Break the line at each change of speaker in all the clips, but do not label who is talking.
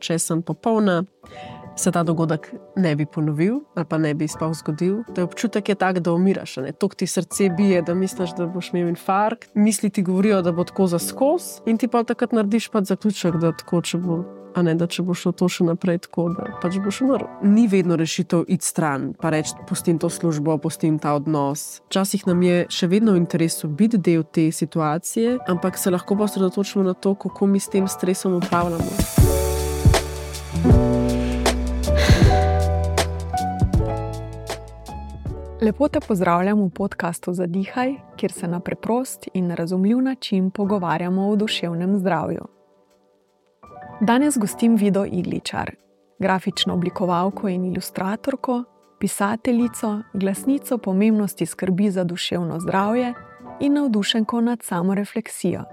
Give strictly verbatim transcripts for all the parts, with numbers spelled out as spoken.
če sem popolna, se ta dogodek ne bi ponovil ali pa ne bi sploh zgodil. Da občutek je tak, da umiraš. Tok ti srce bije, da misliš, da boš imel infarkt. Misli ti govorijo, da bo tako za skoz in ti pa takrat narediš pač zaključek, da tako, če bo, a ne, da če bo šlo to še naprej tako, da pač boš umrl. Ni vedno rešitev iti stran, pa reči, pustim to službo, pustim ta odnos. Včasih nam je še vedno v interesu biti del te situacije, ampak se lahko osredotočimo na to, kako mi s tem stresom upravljamo.
Lepo te pozdravljam v podcastu Zadihaj, kjer se na preprost in razumljiv način pogovarjamo o duševnem zdravju. Danes gostim Vido Igličar, grafično oblikovalko in ilustratorko, pisateljico, glasnico pomembnosti skrbi za duševno zdravje in navdušenko nad samorefleksijo.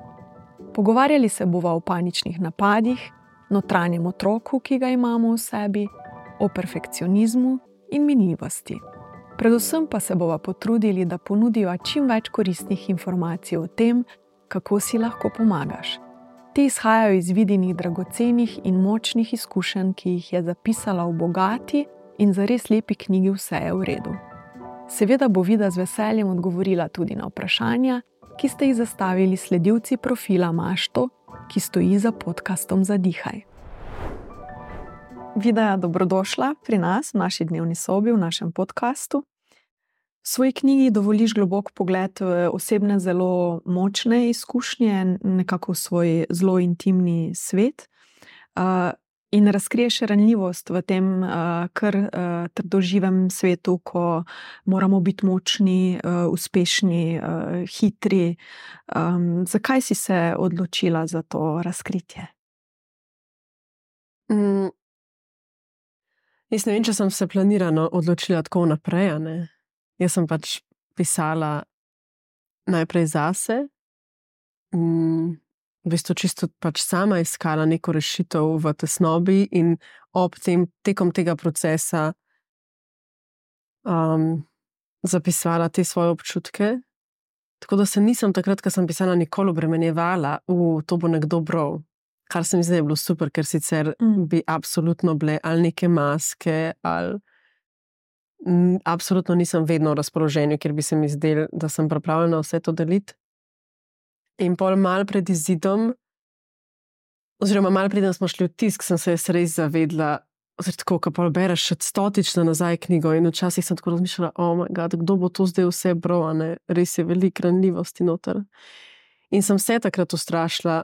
Pogovarjali se bova o paničnih napadih, notranjem otroku, ki ga imamo v sebi, o perfekcionizmu in minljivosti. Predvsem pa se bova potrudili, da ponudiva čim več koristnih informacij o tem, kako si lahko pomagaš. Te izhajajo iz vidinih dragocenih in močnih izkušenj, ki jih je zapisala v bogati in zares lepi knjigi Vse je v redu. Seveda bo Vida z veseljem odgovorila tudi na vprašanja, ki ste jih zastavili sledilci profila Mašto, ki stoji za podcastom Zadihaj. Vida, dobrodošla pri nas, v naši dnevni sobi, v našem podcastu. V svoji knjigi dovoliš globok pogled v osebne zelo močne izkušnje, nekako v svoj zelo intimni svet uh, in razkriješ ranljivost v tem uh, kar uh, trdoživem svetu, ko moramo biti močni, uh, uspešni, uh, hitri. Um, zakaj si se odločila za to razkritje?
Mm. Jaz ne vem, če sem se planirano odločila tako naprej, ne? Jaz sem pač pisala najprej zase, mm, v bistvu čisto pač sama iskala neko rešitev v tesnobi in ob tem, tekom tega procesa um, zapisovala te svoje občutke. Tako da se nisem takrat, ko sem pisala, nikoli obremenjevala, v to bo nekdo bral. Kar se mi zdaj je bilo super, ker sicer mm. bi absolutno bile ali neke maske, ali m, absolutno nisem vedno v razpoloženju, ker bi se mi zdelo, da sem pripravljena vse to deliti. In pol mal pred izidom, oziroma mal preden smo šli v tisk, sem se res zavedla, oziroma tako, ko pol bereš še stotično nazaj knjigo in včasih sem tako razmišljala, oh my god, kdo bo to zdaj vse bral, a ne? Res je veliko ranljivosti noter. In sem se takrat ustrašila,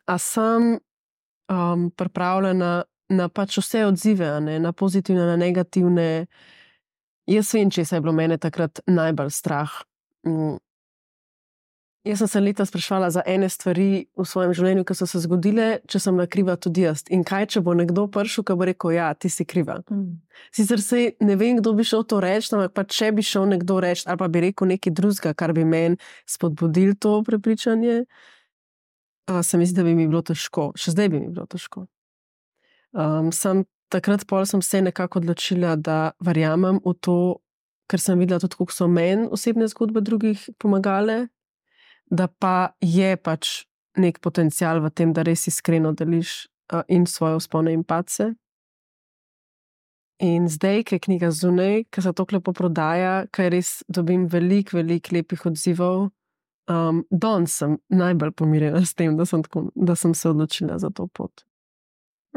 a sem um, pripravljena na pač vse odzive, ne? Na pozitivne, na negativne. Jaz vem, če se je bilo mene takrat najbolj strah. Mm. Jaz sem se leta spraševala za ene stvari v svojem življenju, ki so se zgodile, če sem bila kriva tudi jaz. In kaj, če bo nekdo prišel, ki bo rekel, ja, ti si kriva. Mm. Sicer se ne vem, kdo bi šel to reči, ampak pa če bi šel nekdo reči, ali pa bi rekel nekaj drugega, kar bi meni spodbudil to prepričanje, Uh, se mi zdi, da bi mi bilo težko. Še zdaj bi mi bilo težko. Um, sem, takrat pol sem se nekako odločila, da verjamem v to, ker sem videla tudi, kako so meni osebne zgodbe drugih pomagale, da pa je pač nek potencial v tem, da res iskreno deliš uh, in svoje vzpone in padce. In zdaj, ko je knjiga zunaj, ko se to lepo prodaja, ko res dobim veliko, veliko lepih odzivov, Um, danes sem najbolj pomirjena s tem, da sem, tako, da sem se odločila za to pot.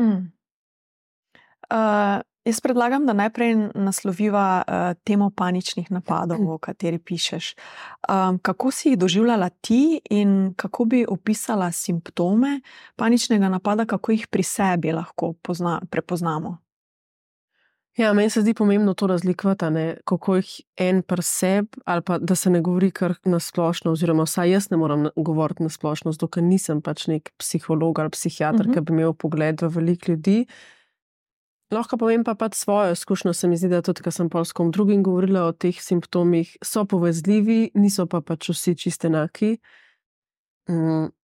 Mm. Uh, jaz predlagam, da najprej nasloviva uh, temo paničnih napadov, mm. o kateri pišeš. Um, kako si jih doživljala ti in kako bi opisala simptome paničnega napada, kako jih pri sebi lahko pozna, prepoznamo?
Ja, meni se zdi pomembno to razlikovati, ne, kako jih en pri sebi, ali pa da se ne govori kar nasplošno, oziroma vsaj jaz ne moram govoriti nasplošno, zato ker nisem pač nek psiholog ali psihiater, uh-huh. ki bi imel pogled v veliko ljudi. Lahko povem pa pač svojo izkušnjo, se mi zdi, da tudi, ko sem pol s kom drugim govorila o teh simptomih, so povezljivi, niso pa pač vsi čisto enaki. Mm.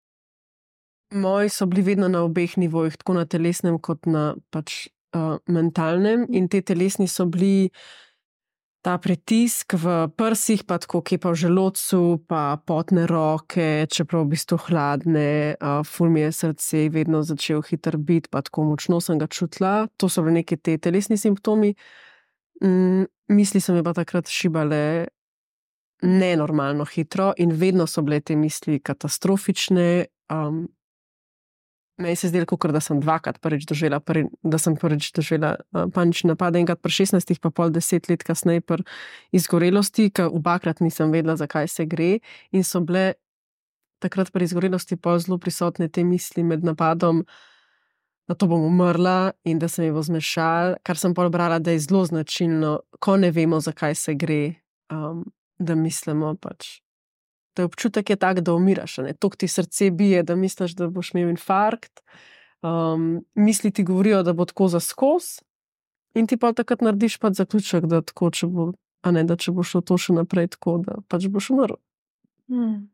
Moji so bili vedno na obeh nivojih, tako na telesnem kot na pač Uh, mentalnem, in te telesni so bili ta pritisk v prsih, pa tako kepa v želodcu, pa potne roke, čeprav v bistvu hladne, uh, ful mi je srce vedno začel hitro biti, pa tako močno sem ga čutila. To so bile neke te telesni simptomi. Mm, misli so mi pa takrat šibale nenormalno hitro in vedno so bile te misli katastrofične. Um, Meni se je zdelo, kot da sem dvakrat prvič doživela, prvi, da sem prvič doživela uh, panični napad, enkrat pri šestnajstih, pa pol deset let kasneje pri izgorelosti, ker obakrat nisem vedela, zakaj se gre. In so bile takrat pri izgorelosti pol zelo prisotne te misli med napadom, da to bom umrla in da se mi bo zmešal, kar sem pol brala, da je zelo značilno, ko ne vemo, zakaj se gre, um, da mislimo pač. Da občutek je tak, da umiraš, ne? Tok ti srce bije, da misliš, da boš imel infarkt. Um, misli ti govorijo, da bo tako za skoz in ti pa takrat narediš pač zaključek, da tako, če bo, a ne, da če bo šlo to še naprej tako, da pač boš umrl.
Hmm.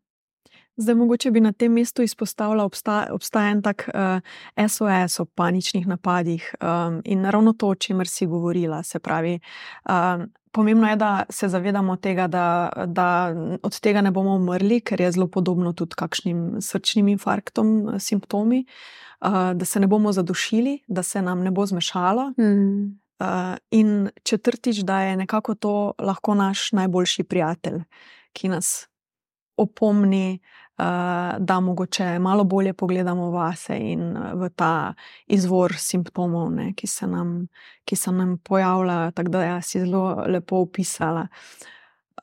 Zdaj, mogoče bi na tem mestu izpostavila, obstaja, obstaja en tak uh, S O S o paničnih napadih um, in ravno to, o čemer si govorila, se pravi, um, pomembno je, da se zavedamo tega, da, da od tega ne bomo umrli, ker je zelo podobno tudi kakšnim srčnim infarktom simptomi, uh, da se ne bomo zadušili, da se nam ne bo zmešalo.
Mm.
Uh, in četrtič, da je nekako to lahko naš najboljši prijatelj, ki nas opomni, uh, da mogoče malo bolje pogledamo vase in v ta izvor simptomov, ne, ki se nam, ki se nam pojavljajo, tako da ja, si zelo lepo opisala.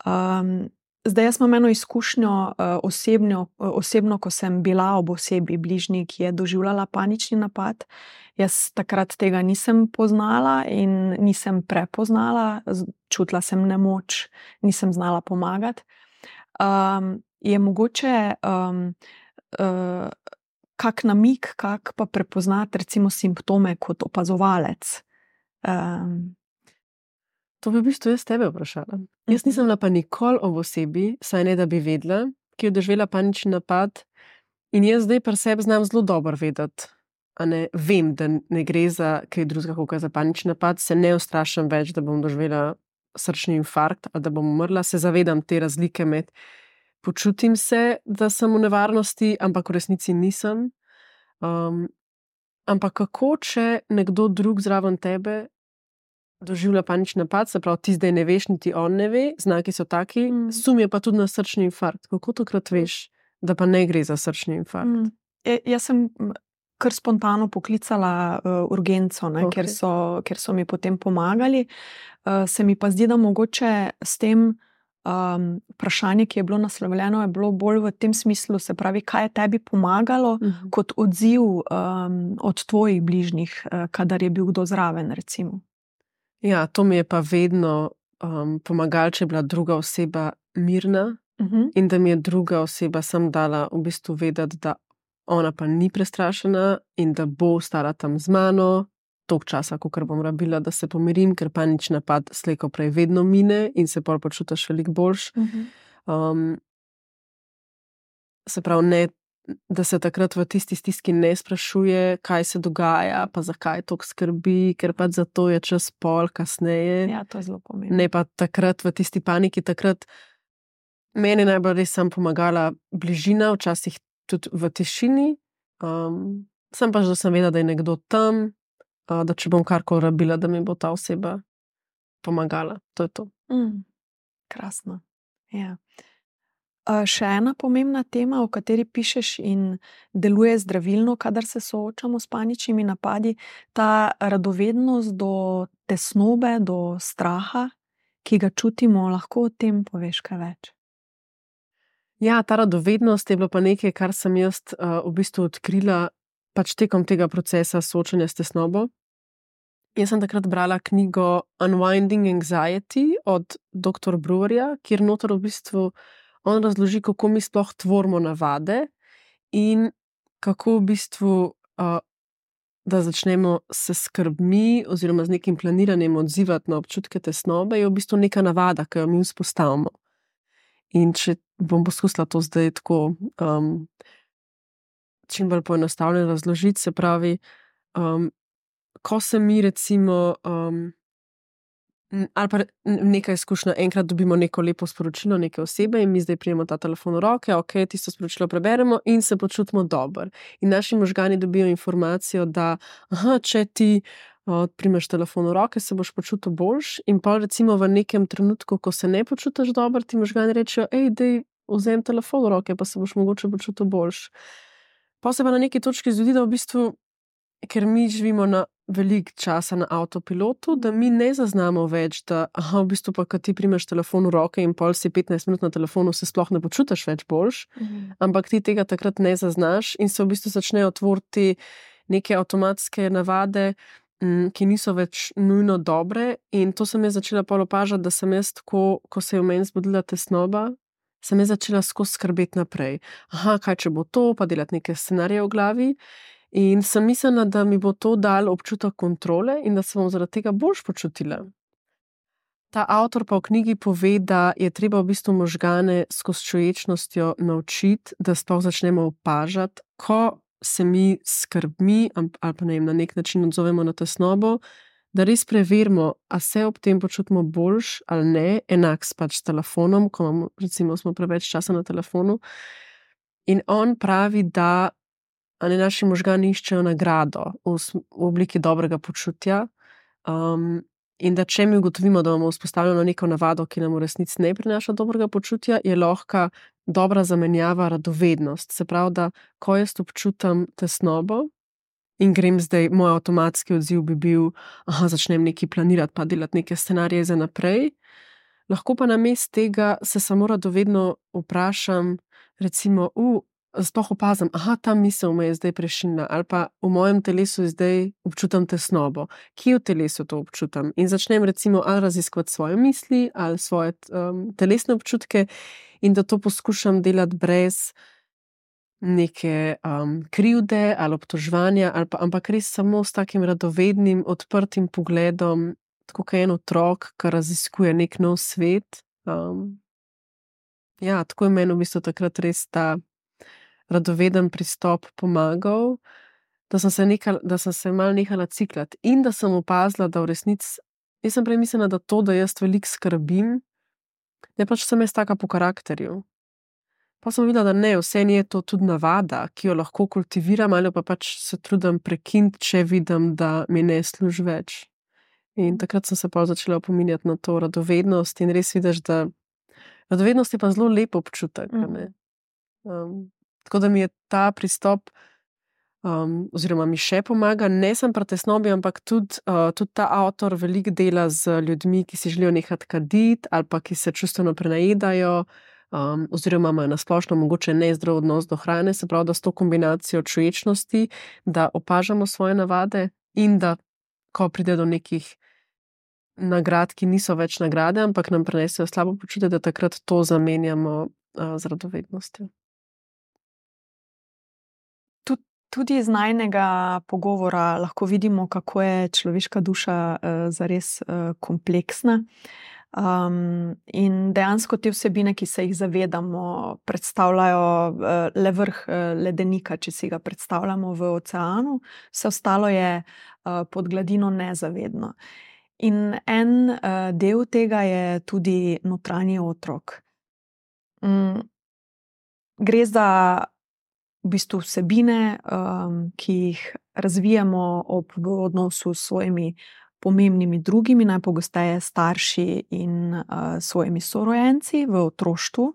Um, zdaj, jaz imam eno izkušnjo uh, osebno, osebno, ko sem bila ob osebi bližnji, ki je doživljala panični napad. Jaz takrat tega nisem poznala in nisem prepoznala, čutila sem nemoč, nisem znala pomagati. Um, je mogoče um, uh, kak namig, kak pa prepoznati recimo simptome kot opazovalec? Um.
To bi v bistvu jaz tebe vprašala. Jaz nisem bila pa nikoli ob osebi, saj ne da bi vedela, ki je doživela panični napad in jaz zdaj pri sebi znam zelo dobro vedeti, a ne, vem, da ne gre za kaj drugega kot za panični napad, se ne ustrašim več, da bom doživela srčni infarkt ali da bom umrla, se zavedam te razlike med počutim se, da sem v nevarnosti, ampak v resnici nisem. Um, ampak kako, če nekdo drug zraven tebe doživlja panični napad, se pravi, ti zdaj ne veš, niti on ne ve, znaki so taki, mm. sum je pa tudi na srčni infarkt. Kako takrat veš, da pa ne gre za srčni infarkt?
Mm. E, jaz sem kar spontano poklicala uh, urgenco, ne,
Okay.
ker so, ker so mi potem pomagali. Uh, se mi pa zdi, da mogoče s tem um, vprašanje, ki je bilo naslovljeno, je bilo bolj v tem smislu, se pravi, kaj je tebi pomagalo
Mhm.
kot odziv um, od tvojih bližnjih, uh, kadar je bil kdo zraven, recimo.
Ja, to mi je pa vedno um, pomagalo, če je bila druga oseba mirna
Uh-huh.
in da mi je druga oseba sam dala v bistvu vedeti, da ona pa ni prestrašena in da bo ostala tam z mano toliko časa, kolikor bom rabila, da se pomirim, ker panični napad slej ko prej vedno mine in se pol počutiš veliko boljš.
Uh-huh.
Um, se pravi, ne, da se takrat v tisti stiski ne sprašuje, kaj se dogaja, pa zakaj toliko skrbi, ker pač za to je čas pol kasneje.
Ja, to je zelo pomembno.
Ne pa takrat v tisti paniki, takrat meni najbolj res sem pomagala bližina, včasih tudi v tišini. Um, sem pač, da sem vedela, da je nekdo tam, uh, da če bom karkoli rabila, da mi bo ta oseba pomagala. To je to.
Mm. Krasno. Ja. Uh, še ena pomembna tema, o kateri pišeš in deluje zdravilno, kadar se soočamo s paničnimi napadi, ta radovednost do tesnobe, do straha, ki ga čutimo, lahko o tem poveš kaj več?
Ja, ta radovednost je bilo pa nekaj, kar sem jaz uh, v bistvu odkrila pač tekom tega procesa soočanja s tesnobo. Jaz sem takrat brala knjigo Unwinding Anxiety od doktor Brewerja, kjer noter v bistvu on razloži, kako mi sploh tvorimo navade in kako v bistvu, uh, da začnemo se skrbmi oziroma z nekim planiranjem odzivati na občutke tesnobe, je v bistvu neka navada, ki jo mi vzpostavimo. In če bom poskusila to zdaj tako um, čim bolj poenostavljeno razložiti, se pravi, um, ko se mi recimo um, Ali pa neka izkušnja, enkrat dobimo neko lepo sporočilo neke osebe in mi zdaj prijemo ta telefon v roke, ok, tisto sporočilo preberemo in se počutimo dobro. In naši možgani dobijo informacijo, da aha, če ti uh, primeš telefon v roke, se boš počutil boljš in pa recimo v nekem trenutku, ko se ne počutiš dobro, ti možgani rečejo, ej, dej, vzem telefon v roke, pa se boš mogoče počutil boljš. Pa se pa na neki točki zgodi, da v bistvu, ker mi živimo na veliko časa na avtopilotu, da mi ne zaznamo več, da aha, v bistvu pa, ko ti primeš telefon v roke in pol si petnajst minut na telefonu, se sploh ne počutiš več boljš, mhm. ampak ti tega takrat ne zaznaš in se v bistvu začnejo tvoriti neke avtomatske navade, m, ki niso več nujno dobre in to sem jaz začela pol opažati, da sem jaz tako, ko se je v meni zbudila tesnoba, sem jaz začela skozi skrbeti naprej. Aha, kaj če bo to, pa delati neke scenarije v glavi. In sem mislila, da mi bo to dalo občutek kontrole in da se bom zaradi tega boljš počutila. Ta avtor pa v knjigi pove, da je treba v bistvu možgane skozi čuječnostjo naučiti, da sploh začnemo opažati, ko se mi skrbmi ali pa ne vem, na nek način odzovemo na tesnobo, da res preverimo, a se ob tem počutimo boljš ali ne, enak s pač s telefonom, ko imamo, recimo, smo preveč časa na telefonu. In on pravi, da ali naši možgani iščejo nagrado v, v obliki dobrega počutja um, in da če mi ugotovimo, da imamo vzpostavljeno neko navado, ki nam v resnici ne prinaša dobrega počutja, je lahko dobra zamenjava radovednost. Se pravi, da ko jaz občutam tesnobo in grem zdaj, moj avtomatski odziv bi bil, aha, začnem nekaj planirati pa delati neke scenarije za naprej, lahko pa namesto tega se samo radovedno vprašam, recimo, u, sploh opazim, aha, ta misel me je zdaj prešinila, ali pa v mojem telesu zdaj občutam tesnobo. Kje v telesu to občutam? In začnem recimo ali raziskovati svoje misli, ali svoje um, telesne občutke in da to poskušam delati brez neke um, krivde ali obtoževanja, ali pa, ampak res samo s takim radovednim, odprtim pogledom, tako kot en otrok, ki raziskuje nek nov svet. Um, ja, tako je meni v bistvu takrat res ta radoveden pristop pomagal, da sem se, nekal, da sem se mal nehala ciklati in da sem opazila, da v resnici, jaz sem prej mislila, da to, da jaz veliko skrbim, ne pač sem jaz taka po karakterju. Pa sem videla, da ne, vse je to tudi navada, ki jo lahko kultiviram ali pa pač se trudim prekiniti, če vidim, da mi ne služi več. In takrat sem se pa začela opominjati na to radovednost in res vidiš, da radovednost je pa zelo lep občutek, ne. Um, Tako da mi je ta pristop, um, oziroma mi še pomaga, ne sem pri tesnobi, ampak tudi, uh, tudi ta avtor veliko dela z ljudmi, ki si želijo nehati kaditi ali pa ki se čustveno prenajedajo, um, oziroma imajo na splošno mogoče nezdrav odnos do hrane, se pravi, da s to kombinacijo čuječnosti, da opažamo svoje navade in da, ko pride do nekih nagrad, ki niso več nagrade, ampak nam prinesejo slabo počutje, da takrat to zamenjamo uh, z radovednostjo.
Tudi iz najnega pogovora lahko vidimo, kako je človeška duša uh, zares uh, kompleksna. Um, in dejansko te vsebine, ki se jih zavedamo, predstavljajo uh, le vrh uh, ledenika, če si ga predstavljamo v oceanu, vse ostalo je uh, pod gladino nezavedno. In en uh, del tega je tudi notranji otrok. Um, gre za v bistvu vsebine, um, ki jih razvijamo ob v odnosu s svojimi pomembnimi drugimi, najpogosteje starši in uh, svojimi sorojenci v otroštvu.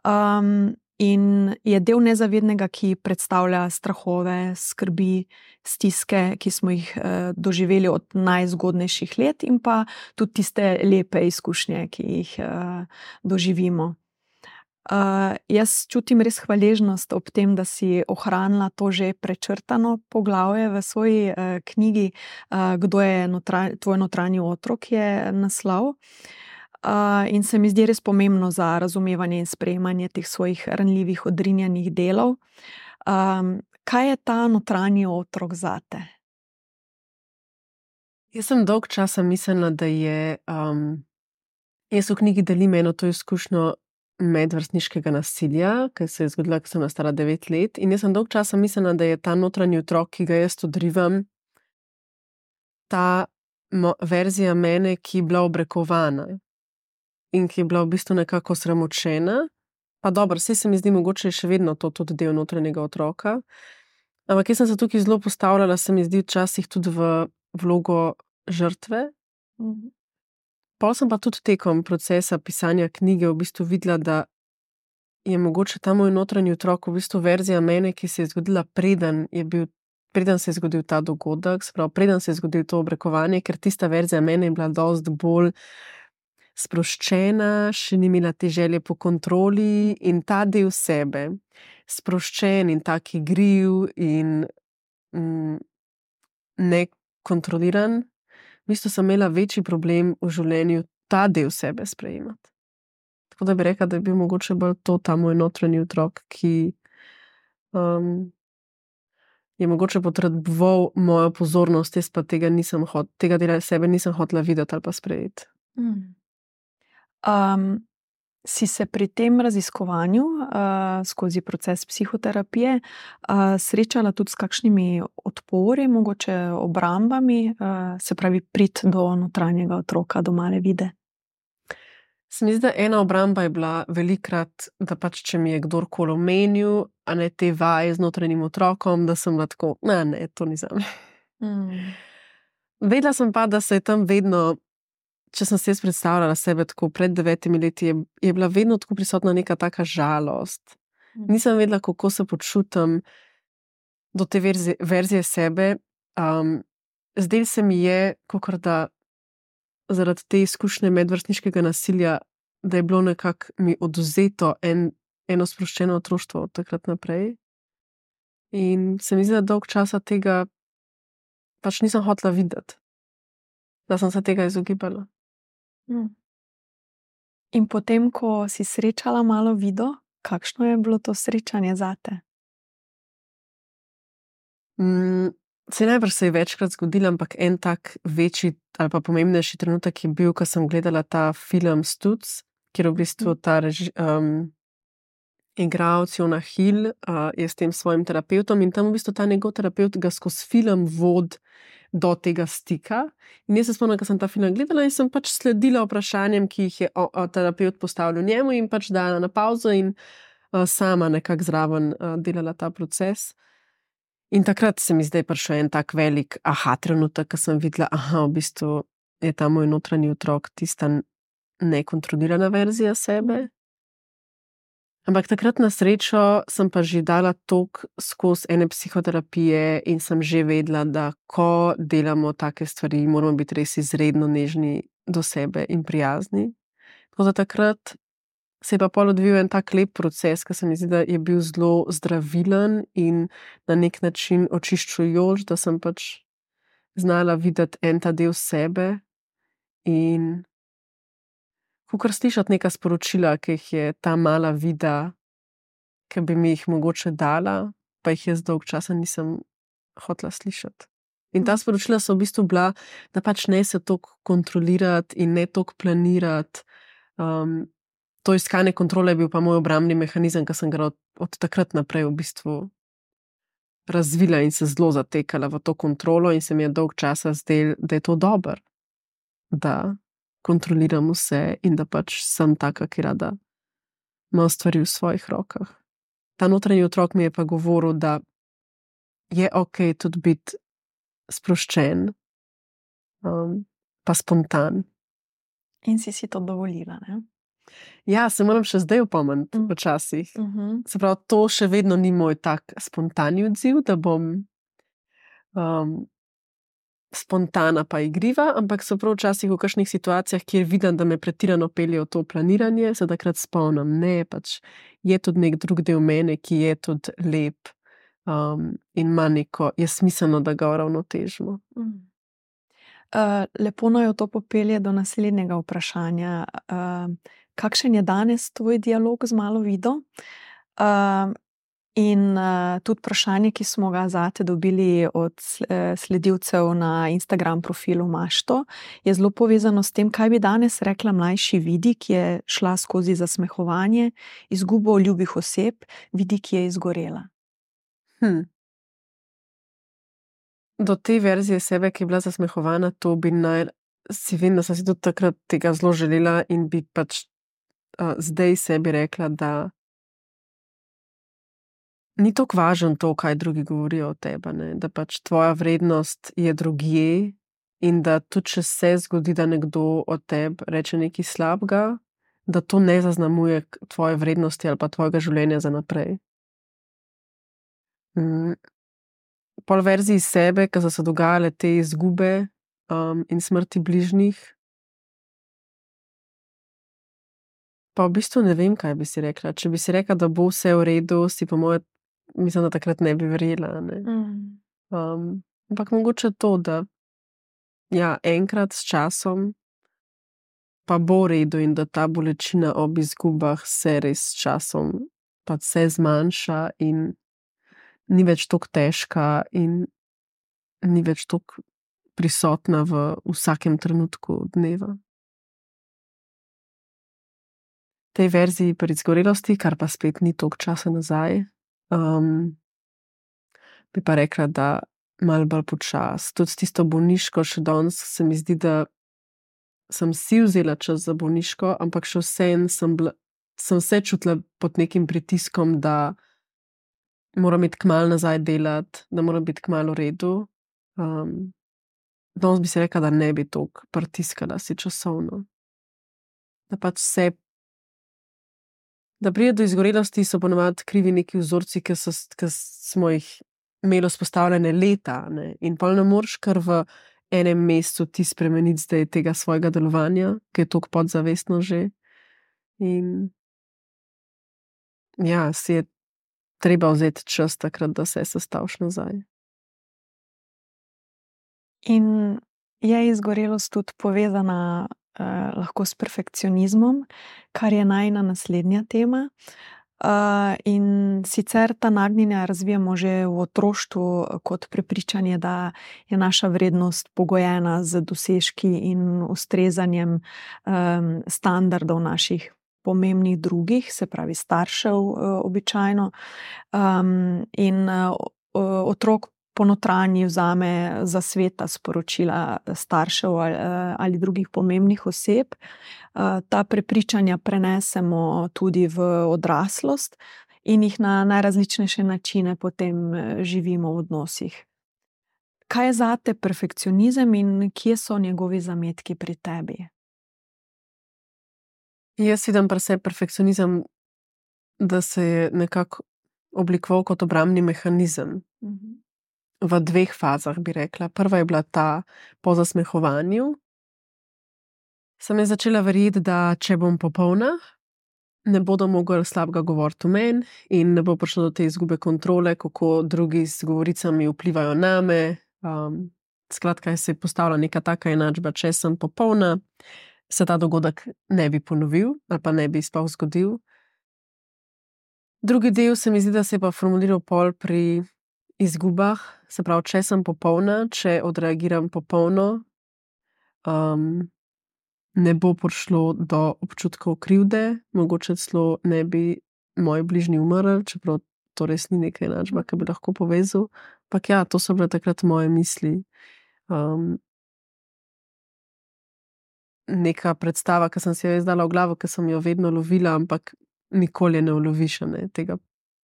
Um, in je del nezavednega, ki predstavlja strahove, skrbi, stiske, ki smo jih uh, doživeli od najzgodnejših let in pa tudi tiste lepe izkušnje, ki jih uh, doživimo. Uh, jaz čutim res hvaležnost ob tem, da si ohranila to že prečrtano poglavje v svoji uh, knjigi, uh, Kdo je notranj, tvoj notranji otrok, je naslov. Uh, in se mi zdi res pomembno za razumevanje in sprejemanje teh svojih ranljivih, odrinjenih delov. Um, kaj je ta notranji otrok zate?
Jaz sem dolg časa mislila, da je, um, jaz v knjigi delim eno to izkušnjo medvrstniškega nasilja, ki se je zgodila, ko sem stara devet let, in jaz sem dolg časa mislila, da je ta notranji otrok, ki ga jaz odrivam, ta mo, verzija mene, ki je bila obrekovana in ki je bila v bistvu nekako sramočena. Pa dobro, vse se mi zdi mogoče še vedno to tudi del notranjega otroka. Ampak jaz sem se tukaj zelo postavljala, se mi zdi včasih tudi v vlogo žrtve.
Mhm.
Pol sem pa tudi tekom procesa pisanja knjige v bistvu videla, da je mogoče ta moj notranji otrok v bistvu verzija mene, ki se je zgodila preden je bil, preden se je zgodil ta dogodek, se pravi, preden se je zgodil to obrekovanje, ker tista verzija mene je bila dosti bolj sproščena, še ni imela te želje po kontroli in ta del sebe, sproščen in tak igriv in mm, nekontroliran, v bistvu sem imela večji problem v življenju ta del sebe sprejemati. Tako da bi rekla, da je bil mogoče bolj to ta moj notranji otrok, ki um, je mogoče potreboval mojo pozornost, jaz pa tega nisem hot, tega dela sebe nisem hotela videti ali pa sprejeti.
Mm. Um, si se pri tem raziskovanju uh, skozi proces psihoterapije uh, srečala tudi s kakšnimi odpori, mogoče obrambami, uh, se pravi prid do notranjega otroka, do male Vide?
Se mi zdi, da ena obramba je bila velikrat, da pač, če mi je kdorkoli omenil, a ne te vaje z notranjim otrokom, da sem bila tako, ne, ne, to ni zame.
Mm.
Vedela sem pa, da se je tam vedno, če sem se jaz predstavljala sebe tako pred devetimi leti, je, je bila vedno tako prisotna neka taka žalost.
Mm.
Nisem vedela, kako se počutim do te verzije, verzije sebe. Um, zdaj se mi je, kakor da zaradi te izkušnje medvrstniškega nasilja, da je bilo nekako mi odvzeto en, eno sproščeno otroštvo od takrat naprej. In se mi zdi, da dolg časa tega pač nisem hotela videti. Da sem se tega izogibala.
Mm. In potem, ko si srečala malo Vido, kakšno je bilo to srečanje zate?
Mm, se najbrž se je večkrat zgodilo, ampak en tak večji ali pa pomembnejši trenutek je bil, ko sem gledala ta film Stuc, kjer v bistvu ta reži, um, igralec Jonah Hill uh, je s tem svojim terapeutom in tam v bistvu ta njegov terapeut ga skozi film vod do tega stika. In jaz se spomnim, ko sem ta film gledala in sem pač sledila vprašanjem, ki jih je o, o, terapeut postavljal njemu in pač dala na pauzo in uh, sama nekako zraven uh, delala ta proces. In takrat se mi zdaj prišel en tak velik aha trenutek, ko sem videla, aha, v bistvu je ta moj notranji otrok tista nekontrolirana verzija sebe. Ampak takrat na srečo sem pa že dala tok skozi ene psihoterapije in sem že vedela, da ko delamo take stvari, moramo biti res izredno nežni do sebe in prijazni. Tako da takrat se je pa pol odvil en tak lep proces, ki se mi zdi, da je bil zelo zdravilen in na nek način očiščujoč, da sem pač znala videti en ta del sebe in kakor slišati neka sporočila, ki jih je ta mala Vida, ki bi mi jih mogoče dala, pa jih jaz dolg časa nisem hotela slišati. In ta sporočila so v bistvu bila, da pač ne se toliko kontrolirati in ne toliko planirati. Um, to iskanje kontrole je bil pa moj obrambni mehanizem, ki sem ga od, od takrat naprej v bistvu razvila in se zelo zatekala v to kontrolo in se mi je dolg časa zdel, da je to dobro, da kontroliram vse in da pač sem taka, ki rada ima stvari v svojih rokah. Ta notranji otrok mi je pa govoril, da je ok tudi biti sproščen, um, pa spontan.
In si si to dovolila, ne?
Ja, se moram še zdaj opomniti,
Mm.
včasih.
Uh-huh.
Se pravi, to še vedno ni moj tak spontani odziv, da bom um, spontana pa igriva, ampak so prav včasih v kakšnih situacijah, kjer vidim, da me pretirano pelje v to planiranje, se takrat spomnim, ne, pač je tudi nek drug del mene, ki je tudi lep um, in ima neko, je smiselno, da ga uravnotežimo.
Mm. Uh, lepo naj to popelje do naslednjega vprašanja. Uh, kakšen je danes tvoj dialog z malo Vido? Uh, in uh, tudi vprašanje, ki smo ga zate dobili od sledilcev na Instagram profilu Mašto, je zelo povezano s tem, kaj bi danes rekla mlajši Vidi, ki je šla skozi zasmehovanje, izgubo ljubih oseb, Vidi, ki je izgorela.
Hm. do te verzije sebe, ki je bila zasmehovana, to bi naj, si vem, da sem si tudi takrat tega zelo želela in bi pač uh, zdaj sebi rekla, da ni tako važno to, kaj drugi govorijo o tebi, ne? Da pač tvoja vrednost je drugje in da tudi, če se zgodi, da nekdo o tebi reče nekaj slabega, da to ne zaznamuje tvoje vrednosti ali pa tvojega življenja za naprej. Mm. Pol verziji sebe, ki so se dogajale te izgube um, in smrti bližnjih, pa v bistvu ne vem, kaj bi si rekla. Če bi si rekla, da bo vse v redu, si po moje, mislim, da takrat ne bi verjela. Ne?
Mm.
Um, ampak mogoče to, da ja, enkrat s časom pa bo v redu in da ta bolečina ob izgubah se res s časom pa se zmanjša in ni več tako težka in ni več tako prisotna v vsakem trenutku dneva. Tej verziji pri izgorelosti, kar pa spet ni toliko časa nazaj, um, bi pa rekla, da malo bolj počas. Tudi s tisto bolniško še danes se mi zdi, da sem si vzela čas za bolniško, ampak še vseeno sem, bila, sem se čutila pod nekim pritiskom, da moram iti kmalu nazaj delati, da moram biti kmalu v redu. Um, danes bi si rekla, da ne bi toliko pritiskala si časovno. Da pač se Da pride do izgorelosti, so ponovadi krivi neki vzorci, ki, so, ki smo jih imeli vzpostavljene leta. Ne? In pol ne moreš kar v enem mesecu ti spremeniti zdaj tega svojega delovanja, ki je toliko podzavestno že. In ja, si je treba vzeti čas takrat, da se sestaviš nazaj.
In je izgorelost tudi povezana Uh, lahko s perfekcionizmom, kar je najina naslednja tema. Uh, in sicer ta nagnjenja razvijamo že v otroštvu kot prepričanje, da je naša vrednost pogojena z dosežki in ustrezanjem um, standardov naših pomembnih drugih, se pravi staršev uh, običajno. Um, in uh, otrok ponotranji vzame za sveta sporočila staršev ali, ali drugih pomembnih oseb. Ta prepričanja prenesemo tudi v odraslost in jih na najrazličnejše načine potem živimo v odnosih. Kaj je zate perfekcionizem in kje so njegovi zametki pri tebi?
Jaz vidim pri sebi perfekcionizem, da se je nekako oblikoval kot obrambni mehanizem. Mhm. V dveh fazah, bi rekla. Prva je bila ta po zasmehovanju. Sem je začela verjeti, da če bom popolna, ne bodo mogli slabega govoriti o meni in ne bo prišlo do te izgube kontrole, kako drugi z govoricami vplivajo name. Um, skratka, se je postavila neka taka enačba, če sem popolna, se ta dogodek ne bi ponovil ali pa ne bi sploh zgodil. Drugi del se mi zdi, da se je pa formuliral pol pri izgubah, se pravi, če sem popolna, če odreagiram popolno, um, ne bo prišlo do občutkov krivde, mogoče celo ne bi moji bližnji umrli, čeprav to res ni neka enačba, ki bi lahko povezal. Ampak ja, to so bile takrat moje misli. Um, neka predstava, ki sem si jo izdala v glavo, ki sem jo vedno lovila, ampak nikoli ne uloviš, ne, tega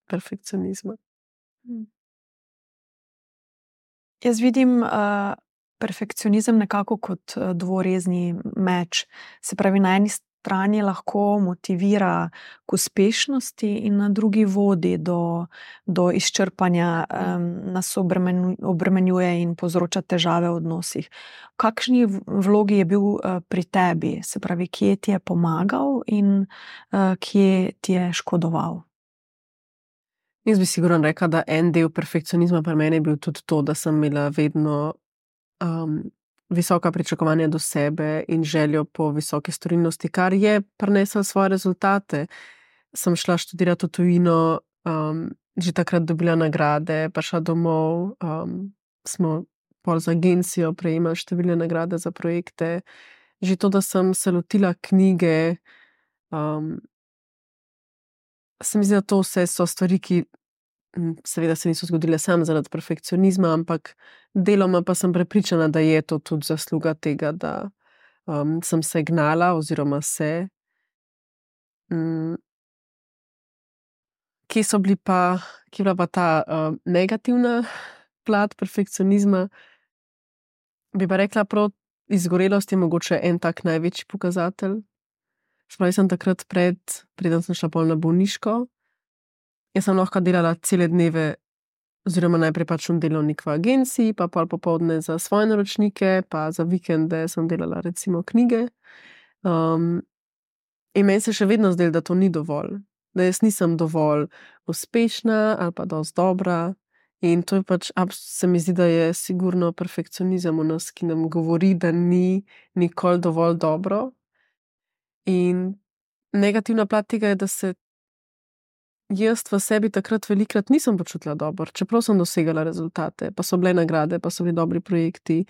perfekcionizma. Hmm.
Jaz vidim uh, perfekcionizem nekako kot uh, dvorezni meč. Se pravi, na eni strani lahko motivira k uspešnosti in na drugi vodi do, do izčrpanja, um, nas obremenju, obremenjuje in povzroča težave v odnosih. V kakšni vlogi je bil uh, pri tebi? Se pravi, kje ti je pomagal in uh, kje ti je škodoval?
Jaz bi sigurno rekla, da en del perfekcionizma pri meni je bil tudi to, da sem imela vedno um, visoka pričakovanja do sebe in željo po visoki storilnosti, kar je prineslo svoje rezultate. Sem šla študirati v tujino, um, že takrat dobila nagrade, prišla domov, um, smo pol z agencijo prejemali številne nagrade za projekte. Že to, da sem se lotila knjige, um, se mi zdi, da to vse so stvari, ki seveda se niso zgodile samo zaradi perfekcionizma, ampak deloma pa sem prepričana, da je to tudi zasluga tega, da um, sem se gnala oziroma se. Um, kje so bili pa, kje je bila pa ta uh, negativna plat perfekcionizma? Bi pa rekla, prav izgorelost je mogoče en tak največji pokazatelj. Spravi sem takrat pred, preden sem šla pol na bolniško, jaz sem lahko delala cele dneve, oziroma najprej pač v delovnik v agenciji, pa pol popoldne za svoje naročnike, pa za vikende sem delala recimo knjige. Um, in meni se še vedno zdelo, da to ni dovolj. Da jaz nisem dovolj uspešna ali pa dosti dobra. In to je pač, se mi zdi, da je sigurno perfekcionizem v nas, ki nam govori, da ni nikoli dovolj dobro. In negativna plat tega je, da se jaz v sebi takrat velikrat nisem počutila dobro, čeprav sem dosegala rezultate, pa so bile nagrade, pa so bili dobri projekti,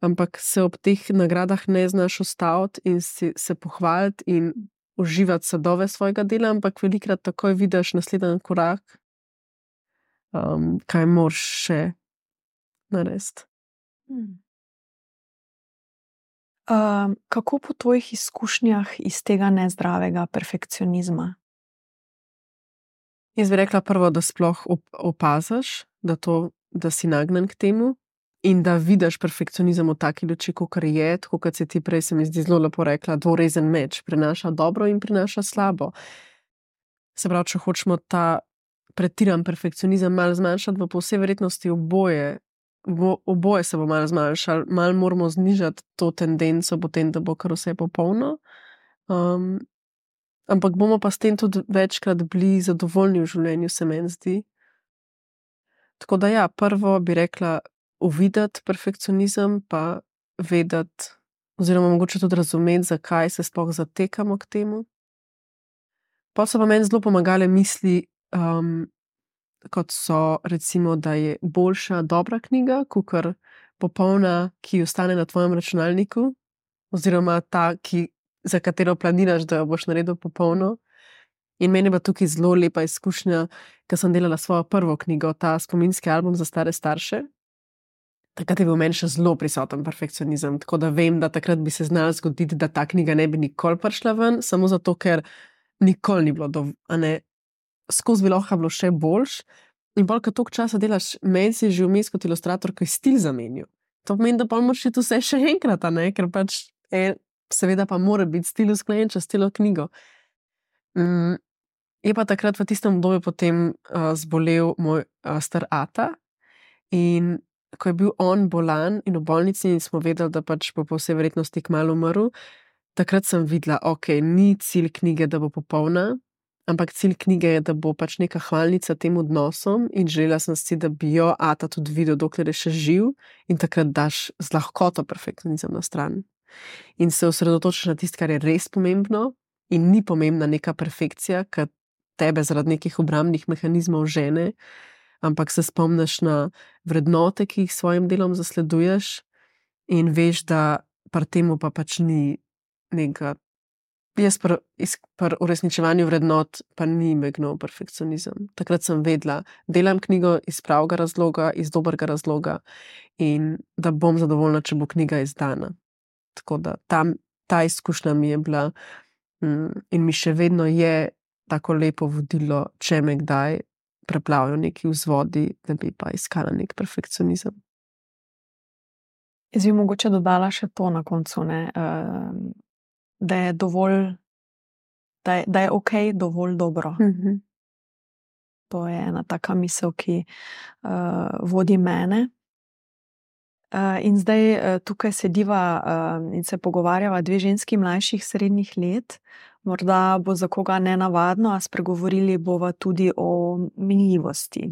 ampak se ob teh nagradah ne znaš ustaviti in si, se pohvaliti in uživati sadove svojega dela, ampak velikrat takoj vidiš naslednji korak, um, kaj moraš še narediti.
Hmm. Uh, kako po tvojih izkušnjah iz tega nezdravega perfekcionizma?
Jaz bi rekla prvo, da sploh op- opaziš, da, to, da si nagnen k temu in da vidiš perfekcionizem v taki luči, kakor je, tako kot si ti prej, se mi zdi zelo lepo rekla, dvorezen meč, prinaša dobro in prinaša slabo. Se pravi, če hočemo ta pretiran perfekcionizem malo zmanjšati, bo po vsej verjetnosti oboje, bo, oboje se bo malo zmanjšali, malo moramo znižati to tendenco potem, da bo kar vse popolno. Um, ampak bomo pa s tem tudi večkrat bili zadovoljni v življenju, se meni zdi. Tako da ja, prvo bi rekla uvideti perfekcionizem, pa vedeti, oziroma mogoče tudi razumeti, zakaj se sploh zatekamo k temu. Pa so pa meni zelo pomagale misli, um, kot so recimo, da je boljša dobra knjiga, kakor popolna, ki ostane na tvojem računalniku, oziroma ta, ki, za katero planiraš, da jo boš naredil popolno. In meni je pa tukaj zelo lepa izkušnja, ker sem delala svojo prvo knjigo, ta spominski album za stare starše. Takrat je bil meni še zelo prisoten perfekcionizem, tako da vem, da takrat bi se znalo zgoditi, da ta knjiga ne bi nikoli prišla ven, samo zato, ker nikoli ni bilo dovolj, skozi bi lahko bilo še boljš. In bolj, ko toliko časa delaš, meni si že vmes kot ilustrator, ki je stil zamenil. To pomeni, da pa moraš iti vse še enkrat, a ne, ker pač je, seveda pa mora biti stil usklajen čez celo knjigo. Mm, je pa takrat v tistem obdobju potem uh, zbolel moj uh, star ata in ko je bil on bolan in v bolnici in smo vedeli, da pač bo po vsej verjetnosti kmalu umrl, takrat sem videla, ok, ni cilj knjige, da bo popolna, ampak cilj knjige je, da bo pač neka hvalnica tem odnosom in želela sem si, da bi jo ata tudi videl, dokler je še živ in takrat daš z lahkoto perfekcionizem na stran. In se osredotočiš na tisto, kar je res pomembno in ni pomembna neka perfekcija, ki tebe zaradi nekih obrambnih mehanizmov žene, ampak se spomniš na vrednote, ki jih s svojim delom zasleduješ in veš, da pri temu pa pač ni nekega, jaz pri, pri uresničevanju vrednot pa ni megnil perfekcionizem. Takrat sem vedela, delam knjigo iz pravega razloga, iz dobrega razloga in da bom zadovoljna, če bo knjiga izdana. Tako da tam, ta izkušnja mi je bila mm, in mi še vedno je tako lepo vodilo, če me kdaj preplavijo neki vzvodi, da bi pa iskala nek perfekcionizem.
Jaz bi mogoče dodala še to na koncu, ne, da je dovolj, da je, da je ok, dovolj dobro.
Mm-hmm.
To je ena taka misel, ki uh, vodi mene. Uh, in zdaj uh, tukaj sediva uh, in se pogovarjava dve ženski mlajših srednjih let. Morda bo za koga nenavadno, a spregovorili bova tudi o minljivosti.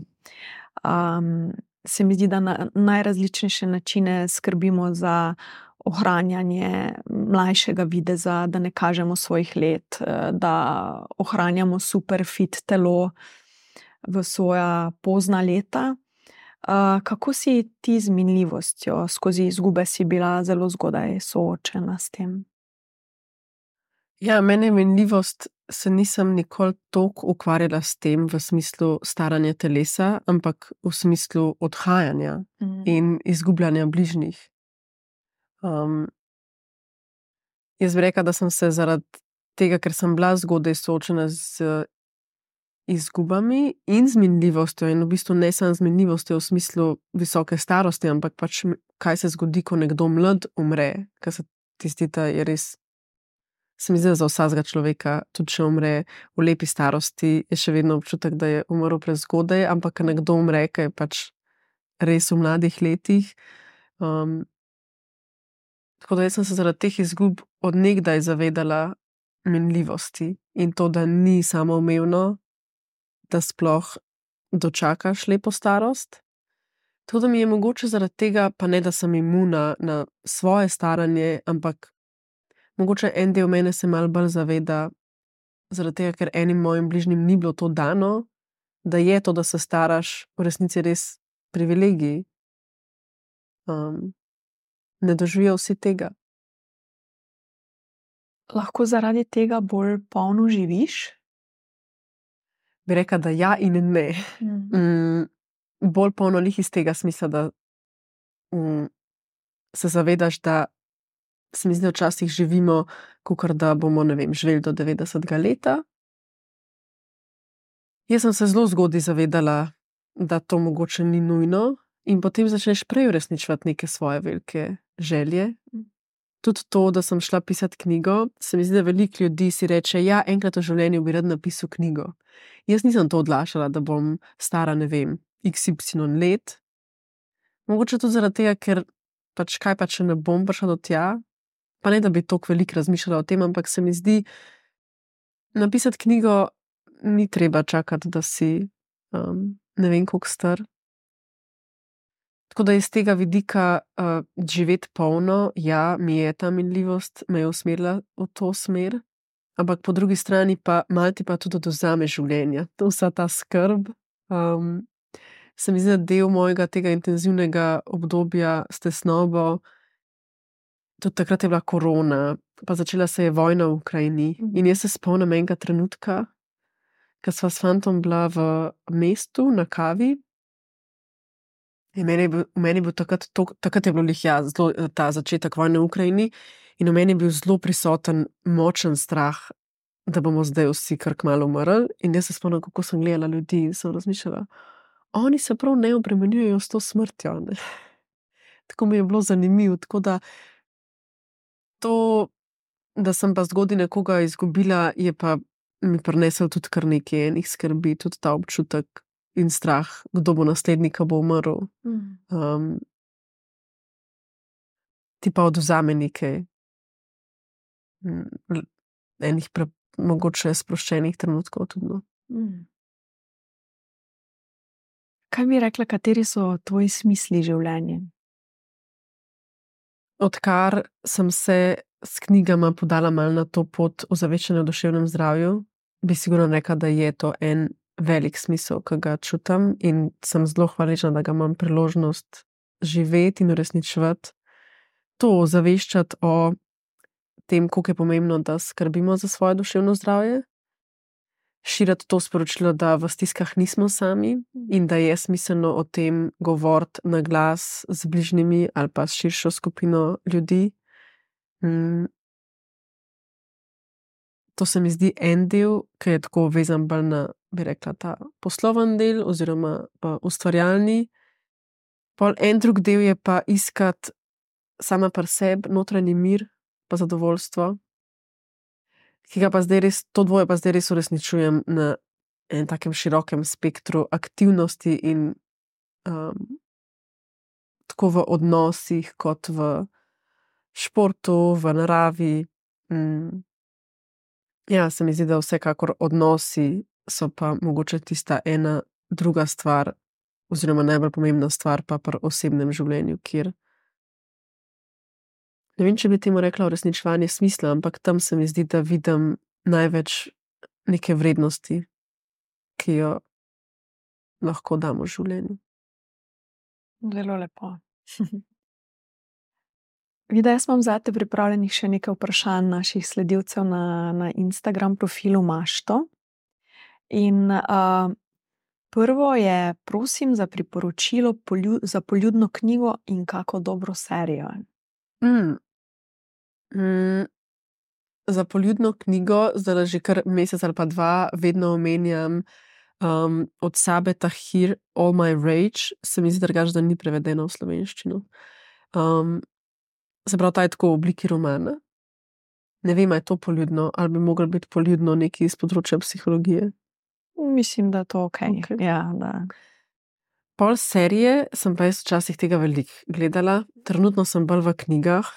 Um, se mi zdi, da na najrazličnejše načine skrbimo za ohranjanje mlajšega videza, da ne kažemo svojih let, da ohranjamo super fit telo v svoja pozna leta. Uh, kako si ti z minljivostjo, skozi izgube si bila zelo zgodaj soočena s tem?
Ja, mene minljivost se nisem nikoli toliko ukvarjala s tem v smislu staranja telesa, ampak v smislu odhajanja
Mm.
in izgubljanja bližnjih. Um, jaz bi rekla, da sem se zaradi tega, ker sem bila zgodaj soočena z izgubami in z minljivostjo, in v bistvu ne samo z minljivostjo v smislu visoke starosti, ampak pač kaj se zgodi, ko nekdo mlad umre, ker se ti zdi, da je res, se mi zdi, da za vsakega človeka, tudi če umre v lepi starosti, je še vedno občutek, da je umrl prezgodaj, ampak ko nekdo umre, ki je pač res v mladih letih. Um, tako da jaz sem se zaradi teh izgub od nekdaj zavedala minljivosti in to, da ni samoumevno, da sploh dočakaš lepo starost. To, da mi je mogoče zaradi tega, pa ne, da sem imuna na svoje staranje, ampak mogoče en del mene se malo bolj zaveda, zaradi tega, ker enim mojim bližnjim ni bilo to dano, da je to, da se staraš, v resnici res privilegij. Um, ne doživijo vsi tega.
Lahko zaradi tega bolj polno živiš?
Bi rekla, da ja in ne.
Mm.
Mm, bolj polno lih iz tega smisla, da mm, se zavedaš, da se mi zdi, da včasih živimo, kakor da bomo, ne vem, živeli do devetdesetega leta. Jaz sem se zelo zgodaj zavedala, da to mogoče ni nujno, in potem začneš prej uresničevati neke svoje velike želje. Tudi to, da sem šla pisati knjigo, se mi zdi, da veliko ljudi si reče, ja, enkrat v življenju bi rad napisal knjigo. Jaz nisem to odlašala, da bom stara, ne vem, iks ipsilon let. Mogoče tudi zaradi tega, ker pač kaj pa, če ne bom prišla do tja, pa ne, da bi toliko veliko razmišljala o tem, ampak se mi zdi, napisati knjigo ni treba čakati, da si um, ne vem koliko star. Tako da iz tega vidika uh, živeti polno, ja, mi je ta minljivost me je usmerila v to smer, ampak po drugi strani pa malo ti pa tudi odvzame življenja. To vsa ta skrb. Um, se mi zdi, da del mojega tega intenzivnega obdobja s tesnobo, tudi takrat je bila korona, pa začela se je vojna v Ukrajini.
Mhm.
In jaz se spomnim enega trenutka, ko sva s fantom bila v mestu na kavi. In meni je bil, v meni je bil takrat, to, takrat je bilo lih, ja, zelo, ta začetek vojne v Ukrajini, in v meni je bil zelo prisoten močen strah, da bomo zdaj vsi kar kmalu umrli. In jaz se spomnim, kako sem gledala ljudi in sem razmišljala, oni se prav ne obremenjujejo s to smrtjo. Ne? Tako mi je bilo zanimivo. Tako da to, da sem pa zgodaj nekoga izgubila, je pa mi prinesel tudi kar nekaj enih skrbi, tudi ta občutek in strah, kdo bo naslednji, ko bo umrl.
Mm.
Um, ti pa odvzame nekaj mm, enih pre, mogoče sproščenih trenutkov tudi. No.
Mm. Kaj bi rekla, kateri so tvoji smisli življenja?
Odkar sem se s knjigama podala malo na to pot ozaveščanja o duševnem zdravju, bi sigurno rekla, da je to en velik smisel, ki ga čutim, in sem zelo hvaležna, da ga imam priložnost živeti in uresničevati. To ozaveščati o tem, koliko je pomembno, da skrbimo za svoje duševno zdravje, širiti to sporočilo, da v stiskah nismo sami in da je smiselno o tem govoriti na glas z bližnjimi ali pa s širšo skupino ljudi. Mm. To se mi zdi en del, ki je tako vezan bolj na, bi rekla, ta posloven del oziroma uh, ustvarjalni. Pol en drug del je pa iskati sama pri sebi notranji mir pa zadovoljstvo, ki ga pa zdaj res, to dvoje pa zdaj res uresničujem na enem takem širokem spektru aktivnosti in um, tako v odnosih kot v športu, v naravi. Mm. Ja, se mi zdi, da vsekakor odnosi so pa mogoče tista ena druga stvar oziroma najbolj pomembna stvar pa pri osebnem življenju, kjer ne vem, če bi temu rekla uresničevanje smisla, ampak tam se mi zdi, da vidim največ neke vrednosti, ki jo lahko damo v življenju.
Zelo lepo. Vida, jaz imam zate pripravljenih še nekaj vprašanj naših sledilcev na, na Instagram profilu Mašto. In uh, prvo je, prosim za priporočilo polju, za poljudno knjigo in kako dobro serijo.
Mm. Mm. Za poljudno knjigo, zdaj že kar mesec ali pa dva, vedno omenjam um, od Sabe Tahir All My Rage, se mi zdi drugače, da ni prevedeno v slovenščino. Um, se pravi, ta je tako v obliki romana. Ne vem, ali je to poljudno, ali bi moglo biti poljudno nekaj iz področja psihologije.
Mislim, da je to ok.
Ok.
Ja, da.
Pol serije sem pa jaz včasih tega veliko gledala, trenutno sem bolj v knjigah.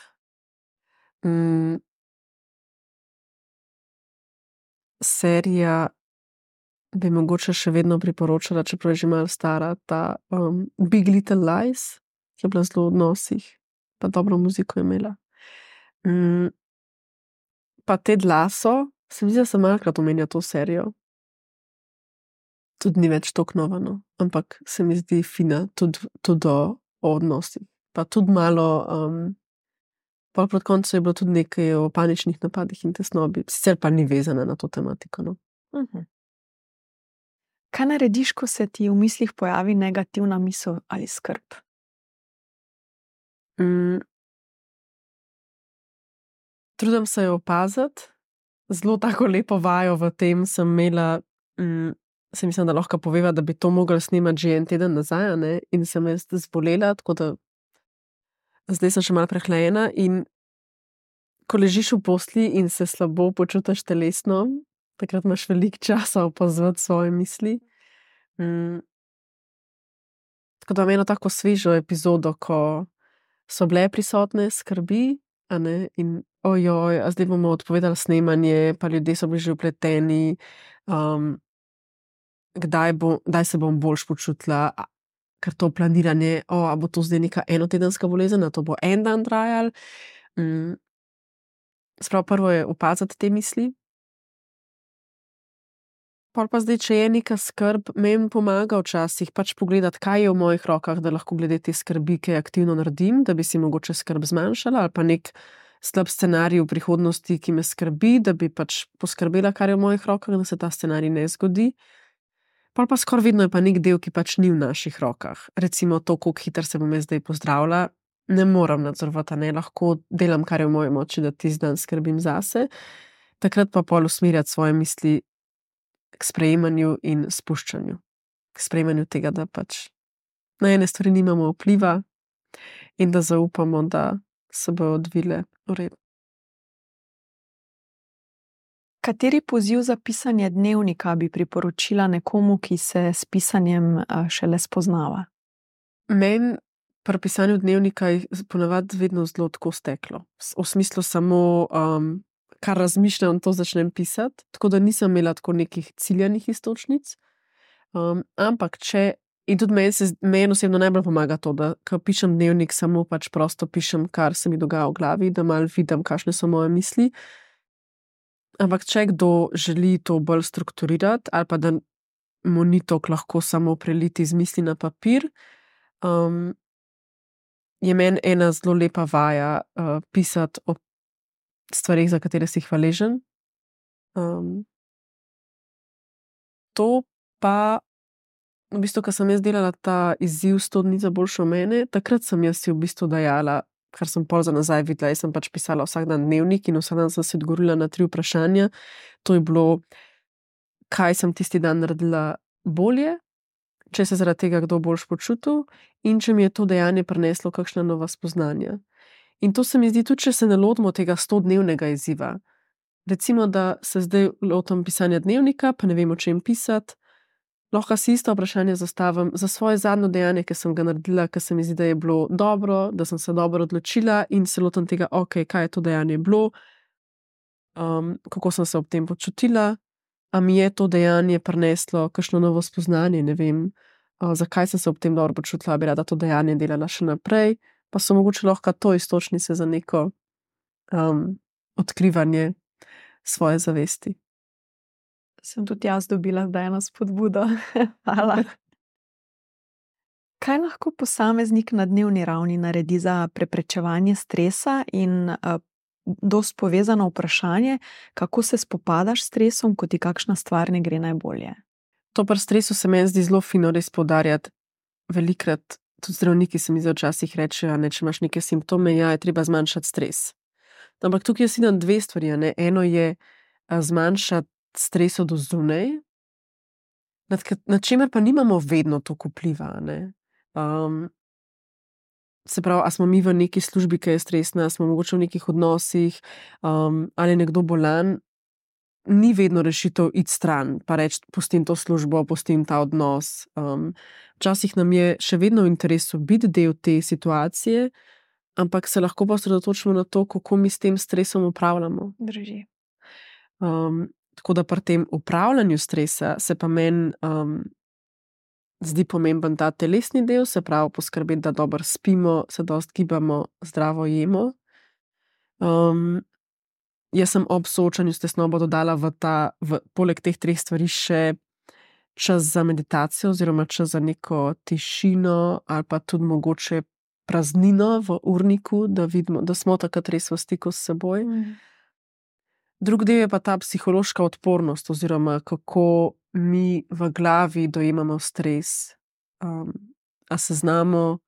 Mm. Serija bi mogoče še vedno priporočala, čeprav je že malo stara, ta um, Big Little Lies, ki je bila zelo v odnosih, pa dobro muziko je imela. Mm. Pa Ted Lasso, se mi zdi, da sem malokrat omenjala to serijo. Tudi ni več toliko nova, no, ampak se mi zdi fina tudi, tudi o, o odnosih. Pa tudi malo, um, pol proti koncu je bilo tudi nekaj o paničnih napadih in tesnobi, sicer pa ni vezana na to tematiko, no.
Uh-huh. Kaj narediš, ko se ti v mislih pojavi negativna misel ali skrb?
Mm. Trudim se jo opaziti. Zelo tako lepo vajo v tem sem imela, mm, se mislim, da lahko poveva, da bi to mogli snemati že en teden nazaj, a ne, in sem jaz zbolela, tako da zdaj sem še malo prehlajena in ko ležiš v posli in se slabo počutiš telesno, takrat imaš veliko časa opazovati svoje misli. Mm. Tako da imam eno tako svežo epizodo, ko so bile prisotne skrbi, a ne, in ojoj, a zdaj bomo odpovedali snemanje, pa ljudje so bili že vpleteni, um, kdaj, bo, kdaj se bom boljš počutila, a, ker to planiranje, o, a bo to zdaj neka enotedenska bolezen, a to bo en dan trajal. Mm. Sprav prvo je opaziti te misli. Pol pa zdaj, če je neka skrb, meni pomaga včasih pač pogledati, kaj je v mojih rokah, da lahko glede te skrbi kaj aktivno naredim, da bi si mogoče skrb zmanjšala, ali pa nek slab scenarij v prihodnosti, ki me skrbi, da bi pač poskrbela, kar je v mojih rokah, da se ta scenarij ne zgodi. Pol pa skoraj vedno je pa nek del, ki pač ni v naših rokah. Recimo to, koliko hitro se bom jaz zdaj pozdravila, ne moram nadzorovati, ne, lahko delam, kar je v moji moči, da tisti dan skrbim zase. Takrat pa pol usmerjati svoje misli k sprejemanju in spuščanju. K sprejemanju tega, da pač na ene stvari nimamo vpliva in da zaupamo, da se bodo odvile v redu.
Kateri poziv za pisanje dnevnika bi priporočila nekomu, ki se s pisanjem šele spoznava?
Meni pri pisanju dnevnika je ponavadi vedno zelo tako steklo. V smislu samo, um, kar razmišljam, to začnem pisati, tako da nisem imela tako nekih ciljanih iztočnic. Um, ampak če, in tudi meni, se, meni osebno najbolj pomaga to, da ko pišem dnevnik, samo pač prosto pišem, kar se mi dogaja v glavi, da malo vidim, kakšne so moje misli. Ampak če kdo želi to bolj strukturirati, ali pa da mu ni toliko lahko samo preliti z misli na papir, um, je meni ena zelo lepa vaja uh, pisati o stvarih, za katere si hvaležen. Um, to pa, v bistvu, ko sem jaz delala ta izziv sto dni za boljšo mene, takrat sem jaz si v bistvu dajala, kar sem pol za nazaj videla, jaz sem pač pisala vsak dan dnevnik in vsak dan sem se odgovorila na tri vprašanja. To je bilo, kaj sem tisti dan naredila bolje, če se zaradi tega kdo boljš počutil in če mi je to dejanje prineslo kakšna nova spoznanja. In to se mi zdi tudi, če se ne lotimo tega stodnevnega izziva. Recimo, da se zdaj lotim pisanja dnevnika, pa ne vem, o čem pisati, lahko si isto vprašanje zastavim za svoje zadnje dejanje, ki sem ga naredila, ker se mi zdi, da je bilo dobro, da sem se dobro odločila in se lotim tega, ok, kaj je to dejanje bilo, um, kako sem se ob tem počutila, a mi je to dejanje prineslo kakšno novo spoznanje, ne vem, uh, zakaj sem se ob tem dobro počutila, bi rada to dejanje delala še naprej, pa so mogoče lahko to iztočnice za neko um, odkrivanje svoje zavesti.
Sem tudi jaz dobila zdaj eno spodbudo. Hvala. Kaj lahko posameznik na dnevni ravni naredi za preprečevanje stresa in uh, dosti povezano vprašanje, kako se spopadaš s stresom, ko ti kakšna stvar ne gre najbolje?
To pri stresu se meni zdi zelo fino res poudarjati. Velikrat tudi zdravniki se mi zdi včasih rečejo, ne, če imaš neke simptome, ja, je treba zmanjšati stres. Ampak tukaj jaz vidim dve stvari. Ne? Eno je a, zmanjšati stres od zunaj, nad, nad čemer pa nimamo vedno toliko vpliva. Um, se pravi, a smo mi v neki službi, ki je stresna, smo mogoče v nekih odnosih, um, ali je nekdo bolan, ni vedno rešitev iti stran, pa reči, pustim to službo, pustim ta odnos. Um, včasih nam je še vedno v interesu biti del te situacije, ampak se lahko pa osredotočimo na to, kako mi s tem stresom upravljamo.
Drži.
Um, tako da pri tem upravljanju stresa se pa meni um, zdi pomemben ta telesni del, se pravi poskrbeti, da dobro spimo, se dosti gibamo, zdravo jemo. Um, jaz sem ob soočanju s tesnobo dodala v ta, v, poleg teh treh stvari še čas za meditacijo oziroma čas za neko tišino ali pa tudi mogoče praznino v urniku, da vidimo, da smo takrat res v stiku s seboj. Mm. Drug del je pa ta psihološka odpornost oziroma kako mi v glavi dojemamo stres. Um, a se znamo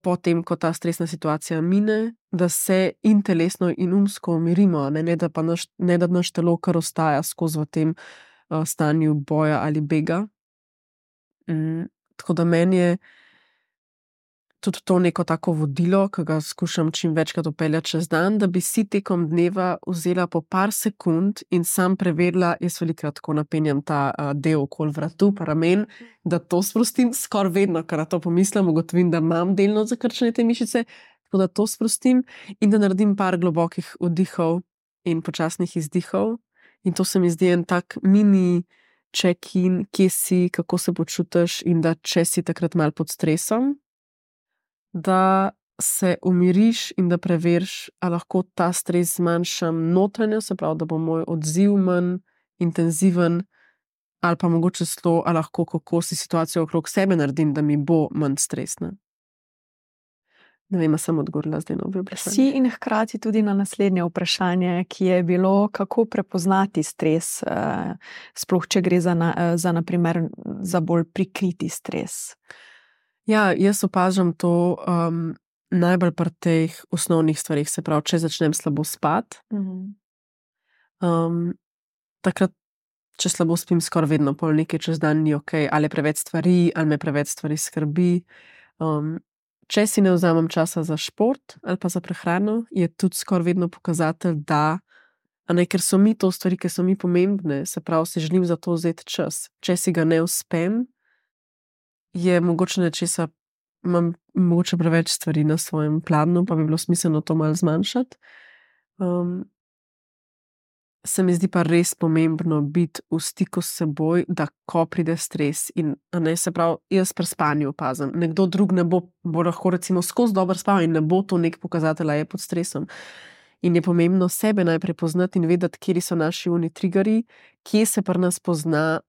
potem, ko ta stresna situacija mine, da se in telesno in umsko umirimo, ne, ne, da pa naš, ne da naš telo kar ostaja skozi v tem uh, stanju boja ali bega. Um, tako da meni je tudi to neko tako vodilo, ki ga skušam čim večkrat upeljati čez dan, da bi si tekom dneva vzela po par sekund in sam preverila, jaz velikrat tako napenjam ta uh, del okoli vratu, pa ramen, da to sprostim skoraj vedno, ker na to pomislim, ugotovim, da imam delno zakrčene te mišice, tako da to sprostim in da naredim par globokih vdihov in počasnih izdihov. In to se mi zdi en tak mini check-in, kje si, kako se počutiš in da če si takrat malo pod stresom, da se umiriš in da preveriš, a lahko ta stres zmanjšam notranjo, se pravi, da bo moj odziv manj intenziven, ali pa mogoče celo, a lahko kako si situacijo okrog sebe naredim, da mi bo manj stresna. Ne vem, sem odgovorila zdaj na obe vprašanje.
Si in hkrati tudi na naslednje vprašanje, ki je bilo, kako prepoznati stres, sploh če gre za, na, za, naprimer, za bolj prikriti stres.
Ja, jaz opažam to um, najbolj pri teh osnovnih stvarih, se pravi, če začnem slabo spati. Mm-hmm. Um, takrat, če slabo spim, skoraj vedno pol nekaj čez dan ni ok, ali preveč stvari, ali me preveč stvari skrbi. Um, če si ne vzamem časa za šport ali pa za prehrano, je tudi skoraj vedno pokazatelj, da, a ne, ker so mi to stvari, ki so mi pomembne, se pravi, si želim za to vzeti čas. Če si ga ne uspem, je mogoče nečesa, imam mogoče preveč stvari na svojem planu, pa bi bilo smiselno to malo zmanjšati. Um, se mi zdi pa res pomembno biti v stiku s seboj, da ko pride stres in, a ne, se pravi, jaz pri spanju opazim, nekdo drug ne bo, bo lahko recimo skozi dobro spal in ne bo to nek pokazatelj, a je pod stresom. In je pomembno sebe najprej poznati in vedeti, kje so naši uni triggerji, kje se pri nas pozna,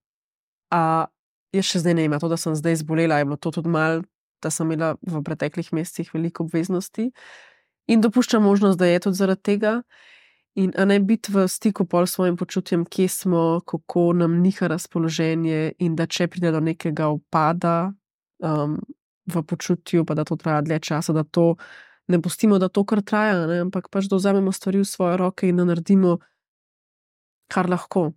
a jaz še zdaj ne imam to, da sem zdaj zbolela, je bilo to tudi malo, da sem imela v preteklih mesecih veliko obveznosti in dopuščam možnost, da je tudi zaradi tega in a ne biti v stiku pol s svojim počutjem, kje smo, kako nam niha razpoloženje in da če pride do nekega upada um, v počutju, pa da to traja dlje časa, da to ne pustimo, da to kar traja, ne? Ampak pač da vzamemo stvari v svoje roke in da naredimo kar lahko.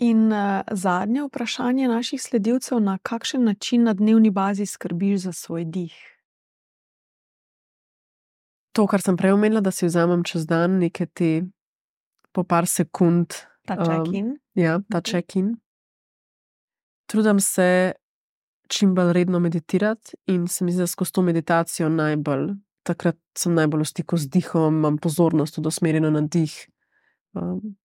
In uh, zadnje vprašanje naših sledilcev, na kakšen način na dnevni bazi skrbiš za svoj dih?
To, kar sem prej omenila, da si vzamem čez dan neke te po par sekund.
Ta check-in.
Um, ja, ta okay. check-in. Trudim se čim bolj redno meditirati in se mi zdi, da skozi to meditacijo najbolj, takrat sem najbolj v stiku z dihom, imam pozornost tudi usmerjeno na dih. Um,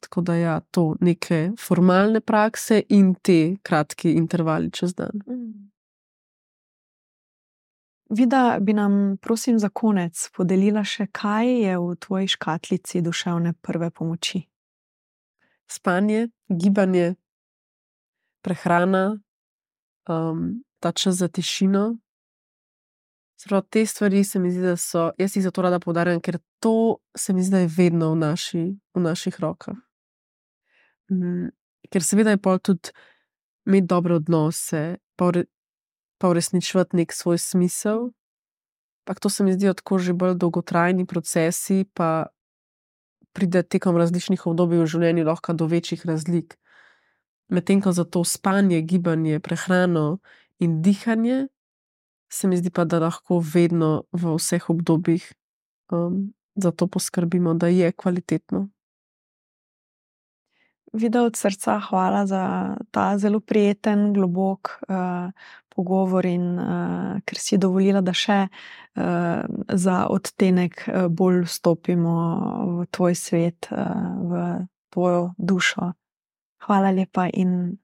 Tako da ja, to neke formalne prakse in te kratki intervali čez dan. Mm.
Vida, bi nam, prosim, za konec podelila še, kaj je v tvoji škatlici duševne prve pomoči?
Spanje, gibanje, prehrana, um, ta čas za tišino. Sprav, te stvari se mi zdi, da so, jaz jih zato rada poudarjam, ker to se mi zdi, da je vedno v, naši, v naših rokah. Um, ker seveda je pol tudi imeti dobre odnose, pa, ure, pa uresničevati nek svoj smisel. Pak to se mi zdijo tako že bolj dolgotrajni procesi, pa pride tekom različnih obdobij v življenju lahko do večjih razlik. Medtem ko za to spanje, gibanje, prehrano in dihanje, se mi zdi pa, da lahko vedno v vseh obdobjih um, za to poskrbimo, da je kvalitetno.
Vida, od srca hvala za ta zelo prijeten, globok uh, pogovor in uh, ker si dovolila, da še uh, za odtenek uh, bolj vstopimo v tvoj svet, uh, v tvojo dušo. Hvala lepa in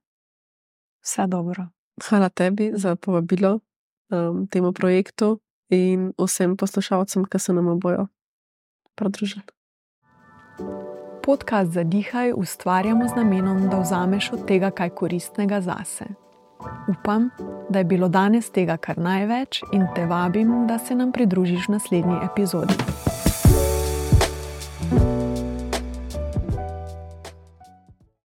vse dobro.
Hvala tebi za povabilo um, temu projektu in vsem poslušalcem, ki se nam bojo pridružili.
Podcast Zadihaj ustvarjamo z namenom, da vzameš od tega kaj koristnega zase. Upam, da je bilo danes tega kar največ in te vabim, da se nam pridružiš v naslednji epizodi.